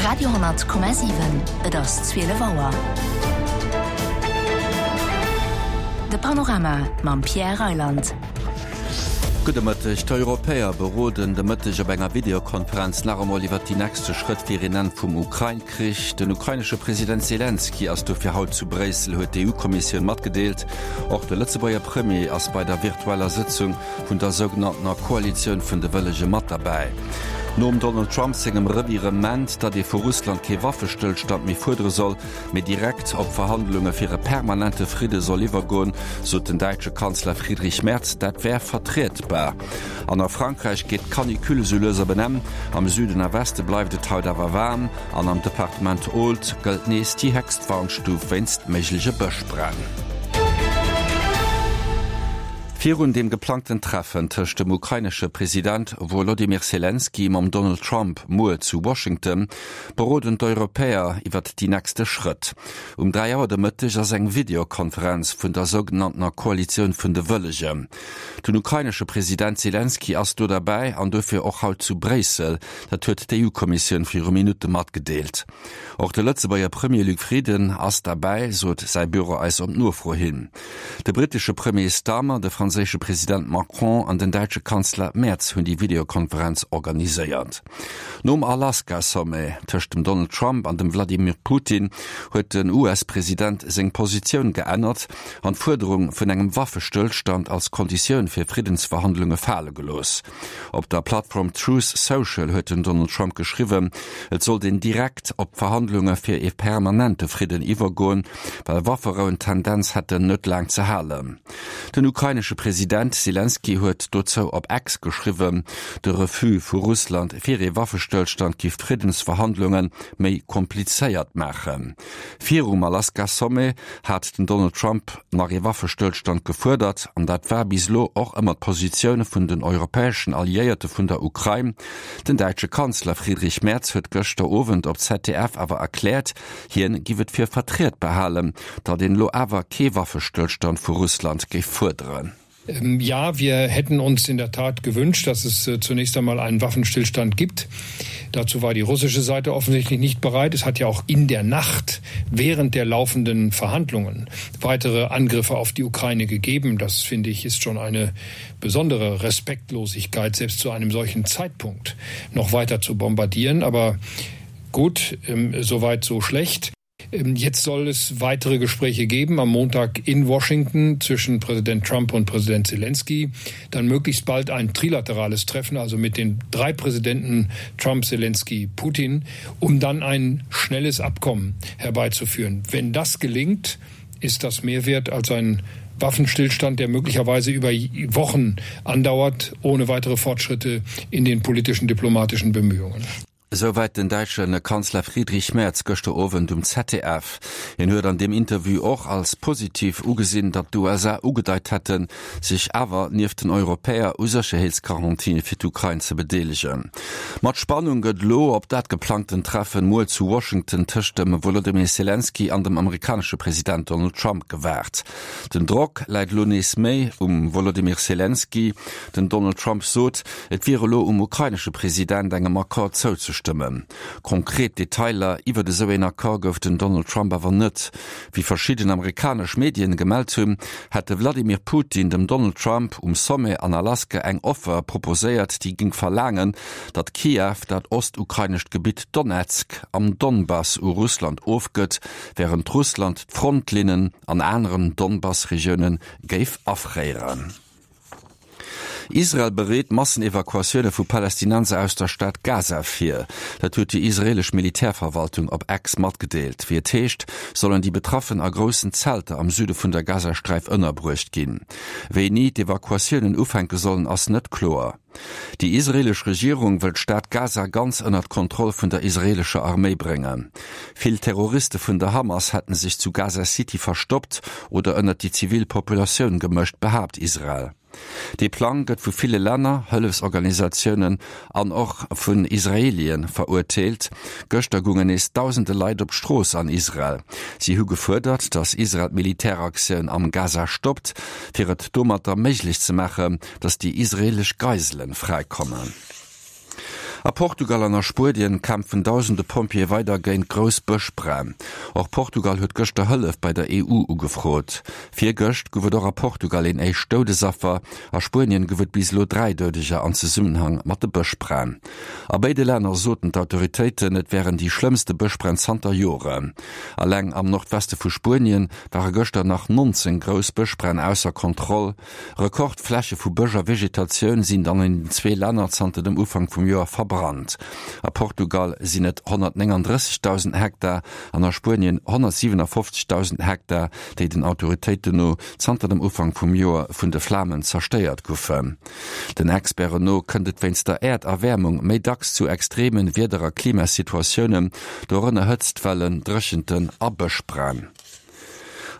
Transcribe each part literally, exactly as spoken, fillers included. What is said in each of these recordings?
Radio honnert Komma siwen, Et ass zwielef Auer. De Panorama mam Pierre Reyland. Gudde Mëtteg. D'Europäer beroden de Mëtteg op enger Videokonferenz nach emol iwwer déi nächste Schrëtt fir een Enn vum Ukrain-Krich. Den ukrainesche President Selenskyj ass dofir haut zu Bréissel, huet d'EU-Kommissioun matgedeelt. Och de Lëtzebuerger Premier ass bei der virtueller Sëtzung vun der sougenanntener Koalitioun vun de Wëllege mat derbäi. Nom Donald Trump sengem Revirement, datt ee vu Russland kee Waffestëllstand méi fuerdere soll, mee direkt op Verhandlunge fir e permanente Fridde soll iwwergoen, sot den däitsche Kanzler Friedrich Merz, dat wär vertrietbar. An a Frankräich geet d'Canicule sou lues op en Enn. Am Süden a Weste bleift et haut awer waarm an am Departement Aude gëllt nees déi héchst Warnstuf wéinst méigleche Bëschbränn. Virun dem geplangten Treffen tëscht dem ukrainesche President Wolodymyr Selenskyj mam Donald Trump muer zu Washington beroden d'Europäer iwwert déi nächste Schrëtt. Um dräi Auer de Mëtteg ass eng Videokonferenz vun der sougenanntener Koalitioun vun de Wëllegen. Den ukrainesche President Selenskyj ass do derbäi an dofir och haut zu Bréissel. Dat huet d'EU-Kommissioun viru Minutte matgedeelt. Och de Lëtzebuerger Premier Luc Frieden ass derbäi, sot säi Büro eis op Nofro hin. De brittesche Premier Starmer, de franséische President Macron an den däitsche Kanzler Merz hunn déi Videokonferenz organiséiert. Nom Alaska-Sommet tëscht dem Donald Trump an dem Vladimir Putin huet den US-President seng Positioun geännert an d'Fuerderung vun engem Waffestëllstand als Konditioun fir Friddensverhandlunge fale gelooss. Op der Plattform Truth Social huet den Donald Trump geschriwwen, et sollt een direkt op Verhandlunge fir ee permanente Fridden iwwergoen, well Wafferouen d'Tendenz hätten, net laang ze halen. Den ukrainesche President Selenskyj huet dozou op X geschriwwen, de Refus vu Russland fir ee Waffestëllstand giff d'Friddensverhandlunge méi komplizéiert maachen. Virum Alaska-Sommet hat den Donald Trump nach ee Waffestëllstand gefuerdert an dat war bis elo och ëmmer d'Positioun vun den europäeschen Alliéierte vun der Ukrain. Den däitsche Kanzler Friedrich Merz huet gëschter Owend op ZDF awer erkläert, hien giff et fir vertrietbar halen, datt een elo awer kee Waffestëllstand vu Russland géif fuerderen. Ja, wir hätten uns in der Tat gewünscht, dass es zunächst einmal einen Waffenstillstand gibt. Dazu war die russische Seite offensichtlich nicht bereit. Es hat ja auch in der Nacht während der laufenden Verhandlungen weitere Angriffe auf die Ukraine gegeben. Das finde ich ist schon eine besondere Respektlosigkeit, selbst zu einem solchen Zeitpunkt noch weiter zu bombardieren. Aber gut, soweit so schlecht. Jetzt soll es weitere Gespräche geben am Montag in Washington zwischen Präsident Trump und Präsident Zelensky. Dann möglichst bald ein trilaterales Treffen, also mit den drei Präsidenten Trump, Zelensky, Putin, um dann ein schnelles Abkommen herbeizuführen. Wenn das gelingt, ist das mehr wert als ein Waffenstillstand, der möglicherweise über Wochen andauert, ohne weitere Fortschritte in den politischen diplomatischen Bemühungen. Esouwäit den däitsche Kanzler Friedrich Merz gëschter Owend um ZDF. Hien huet an deem Interview och als positiv ugesinn, datt d'USA ugedeit hätten, sech awer nieft den Europäer u Sécherheetsgarantië fir d'Ukrain ze bedeelegen. Mat Spannung gëtt elo op dat geplangten Treffen muer zu Washington tëscht dem Wolodymyr Selenskyj an dem amerikanesche President Donald Trump gewaart. Den Drock läit elo nees méi um Wolodymyr Selenskyj. Den Donald Trump sot, et wier elo um ukrainesche President, engem Accord zouzestëmmen. Konkret Detailer iwwert esou een Accord gouf den Donald Trump awer net. Wéi verschidden amerikanesch Medien gemellt hunn, hätt de Vladimir Putin dem Donald Trump um Sommet an Alaska eng Offer proposéiert, déi géing verlaangen, datt Kiew dat ostukrainescht Gebitt Donezk am Donbass u Russland ofgëtt, wärend Russland d'Frontlinnen an aneren Donbass-Regioune géif afréieren. Israel bereet Massenevakuatioune vu Palästinenser aus der Stad Gaza vir. Dat huet déi israeelesch Militärverwaltung op X matgedeelt. Wéi et heescht, sollen déi Betraffen a groussen Zelter am Süde vun der Gazasträif ënnerbruecht ginn. Wéini d'Evakuatiounen ufänke sollen, ass net kloer. Déi israeelesch Regierung wëll d'Stad Gaza ganz ënnert d'Kontroll vun der israeelescher Arméi bréngen. Vill Terroriste vun der Hamas hätten sech zu Gaza City verstoppt oder ënnert déi zivil Populatioun gemëscht, behaapt Israel. Dee Plang gëtt vu ville Länner, Hëllefsorganisatiounen an och vun Israeelie verurteelt. Gëschter goungen nees dausende Leit op d'Strooss an Israel. Si hu gefuerdert, datt Israel d'Militäraktioun am Gaza stoppt, fir et domatter méiglech ze maachen, datt déi israeelesch Geisele fräikommen. A Portugal an a Spuenien kämpfen dausende Pompjeeë weider géint grouss Bëschbränn. Och Portugal huet gëschter Hëllef bei der E U ugefrot. Virgëscht gouf et och a Portugal een éischt Doudesaffer. A Spuenien gouf et bis elo dräi Doudeger an Zesummenhang mat de Bëschbränn. A béide Länner soten d'Autoritéiten, et wären déi schlëmmste Bëschbränn zanter Joren. Alleng am Nordweste vu Spuenien ware gëschter nach nonzéng grouss Bëschbränn ausser Kontroll. Rekordfläche vu Bësch a Vegetatioun sinn an den zwee Länner zanter dem Ufank vum Joer verbrannt. A Portugal sinn et honnertnénganddrëssegdausend Hektar an a Spuenien honnertsiwenafofzegdausend Hektar, déi den Autoritéiten no zanter dem Ufank vum Joer vun de Flamen zerstéiert goufen. Den Experten no kënnt et wéinst der Äerderwäermung méi dacks zu extreme Wieder a Klimasituatiounen, dorënner Hëtztwellen, Dréchenten a Bëschbränn.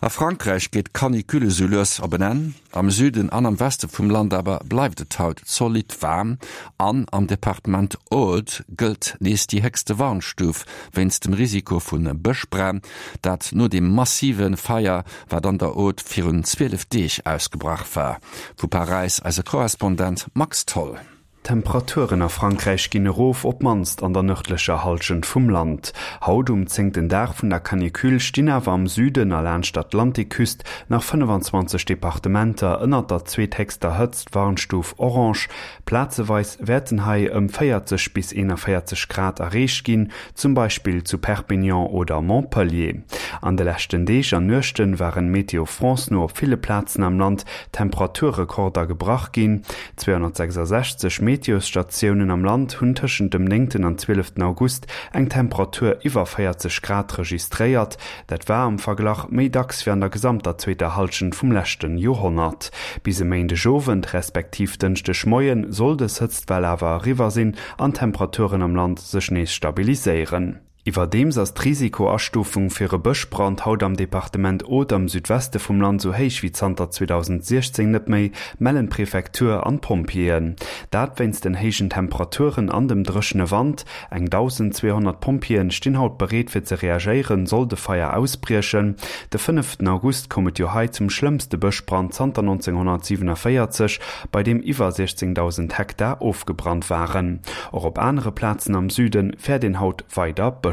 A Frankräich geet d'Canicule sou lues op en Enn. Am Süden an am Weste vum Land awer bleift et haut zolidd waarm an am Departement Aude gëllt nees déi héchste Warnstuf wéinst dem Risiko vu Bëschbränn, dat no dem massive Feier, wat an der Aude virun zwielef Deeg ausgebrach war. Vu Paräis eise Korrespondent Max Tholl. D'Temperaturen a Frankräich ginn erof, op d'mannst an der nërdlecher Hallschent vum Land. Haut um zéngten Dag vun der Canicule stinn awer am Süden a laanscht d'Atlantikküst nach fënnefanzwanzeg Departementer ënnert der zweethéchster Hëtztwarnstuf orange. Plazeweis wäerten hei ëm véierzeg bis eenanvéierzeg Grad erreecht ginn, zum Beispill zu Perpignan oder Montpellier. An de leschten Deeg an Nuechte waren Météo France no op ville Plazen am Land Temperaturrekorder gebrach ginn. zweehonnertsechsasechzeg Meteosstatiounen am Land hunn tëschent dem néngten an zwieleften August eng Temperatur iwwer véierzeg Grad registréiert. Dat war am Verglach méi dacks wéi an der gesamter zweeter Hallschent vum leschten Joerhonnert. Bis e Méindegowend respektiv Dënschdegmoie soll dës Hëtztwell awer eriwwer sinn an d'Temperaturen am Land sech nees stabiliséieren. Iwwerdeems ass d'Risikoastufung fir e Bëschbrand haut am Departement Aude am Südweste vum Land sou héich wéi zanter zweedausendsechzéng net méi, mellen d'Prefektur an d'Pompjeeën. Dat wéinst den héijen Temperaturen an dem dréchene Wand. Eng dausendzweehonnert Pompjeeën stinn haut bereet fir ze reagéieren, sollt e Feier ausbriechen. De fënneften August koum et jo hei zum schlëmmste Bëschbrand zanter nonzénghonnertsiwenavéierzeg, bei deem iwwer siechzéngdausend Hektar ofgebrannt waren. Och op anere Plazen am Süde fäert een haut weider Bëschbränn.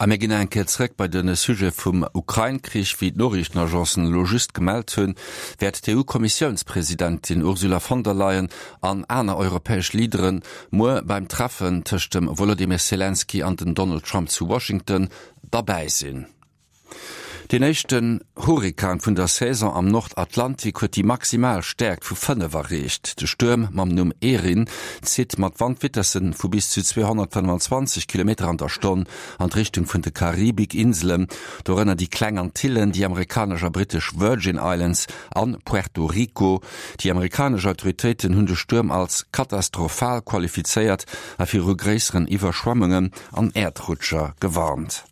A mir ginn eng Kéier zréck bei de Sujet vum Ukrain-Krich. Wéi d'Noriichtenagencen elo just gemellt hunn, wäert d'E U-Kommissiounspresidentin Ursula von der Leyen an aner europäesch Leadere muer beim Treffen tëscht dem Wolodymyr Selenskyj an dem Donald Trump zu Washington derbäi sinn. Deen éischten Hurrikan vun der Saison am Nordatlantik huet déi maximal Stäerkt vu fënnef erreecht. De Stuerm mam Numm Erin zitt mat Wandvitesse vu bis zu zweehonnertfënnefenzwanzeg Kilometer an der Stonn an d'Richtung vun de Karibikinselen, dorënner déi Kleng Antillen, déi amerikanesch a brittesch Virgin Islands an Puerto Rico. Déi amerikanesch Autoritéiten hunn de Stuerm als katastrophal qualifizéiert a viru gréisseren Iwwerschwemmungen an Äerdrutscher gewarnt.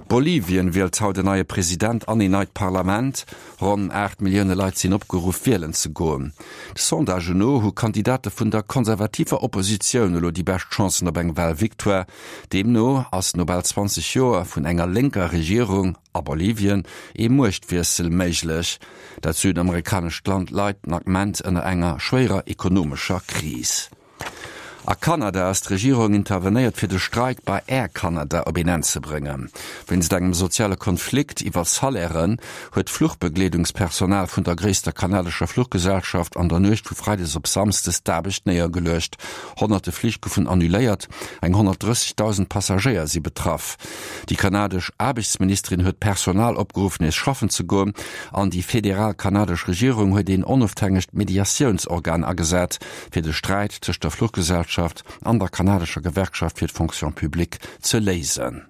Bolivien wielt haut en neie President an een neit Parlament. Ronn aacht Millioune Leit sinn opgeruff, wielen ze goen. De Sondagen no hu Kandidate vun der konservativer Oppositioun elo déi bescht Chancen op eng Walvictoire. Deemno ass no bal zwanzeg Joer vun enger lénker Regierung a Bolivien ee Muechtwiessel méiglech. Dat südamerikanescht Land leit den Ament ënner enger schwéierer ekonomescher Kris. A Kanada ass d'Regierung intervenéiert fir de Streik bei Air Canada op een Enn ze bréngen. Wéinst engem soziale Konflikt iwwer Salairen huet d'Fluchbegleedungspersonal vun der gréisster kanadescher Fluchgesellschaft an der Nuecht vu Freides op Samsdes d'Aarbecht néiergeluecht. Honnerte Flich goufen annuléiert, eng honnertdrëssegdausend Passagéier si betraff. Déi kanadesch Aarbechtsministerin huet d'Personal opgeruff nees schaffen ze goen an déi federal kanadesch Regierung huet een onofhängegt Mediatiounsorgan agesat, fir de Sträit tëscht der Fluchgesellschaft an der kanadescher Gewerkschaft fir d'Fonction publique ze léisen.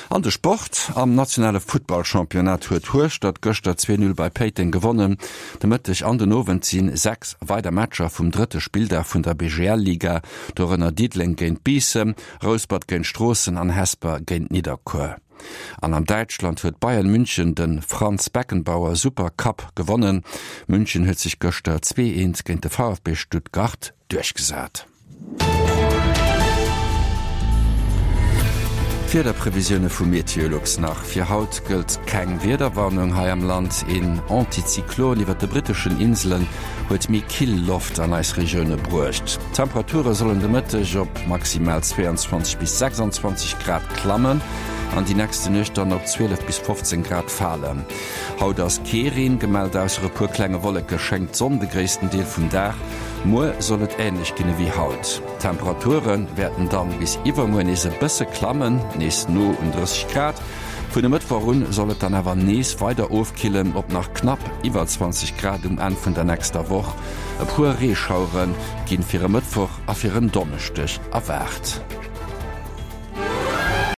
An de Sport, Am nationale Futtballchampionnat huet Hueschtert gëschter zwee Null bei Péiteng gewonnen. De Mëtteg an den Owend si sechs weider Matcher vum drëtte Spilldag vun der B G L-Liga, dorënner Diddeleng géint Biissen, Rouspert géint Stroossen an Hesper géint Nidderkuer. An an Däitschland huet Bayern München de Franz Beckenbauer Super Cup gewonnen. München huet sech gëschter zwee eent géint de V F B Stuttgart duerchgesat. D'Wiederprevisioune vu Meteolux nach, Fir haut gëllt keng Wiederwarnung hei am Land. Een Antizyklon iwwert de britteschen Inselen huet méi kill Loft an eis Regioune bruecht. D'Temperature sollen de Mëtteg op maximal zweiundzwanzeg bis sechsundzwanzeg Grad klammen an déi nächste Nuecht dann op zwielef bis fofzéng Grad falen. Haut ass kee Reen gemellt, ausser e puer klenge Wolleke schéngt d'Sonn de gréissten Deel vum Dag. Muer soll et änlech ginn ewéi haut. D'Temperature wäerten dann bis iwwermuer nees e bësse klammen, nees no un drësseg Grad. Vun e Mëttwoch un soll et dann awer nees weider ofkillen op nach knapp iwwer zwanzeg Grad um Enn vun der nächster Woch. E puer Reeschauere ginn fir e Mëttwoch a fir en Donneschdeg erwaart.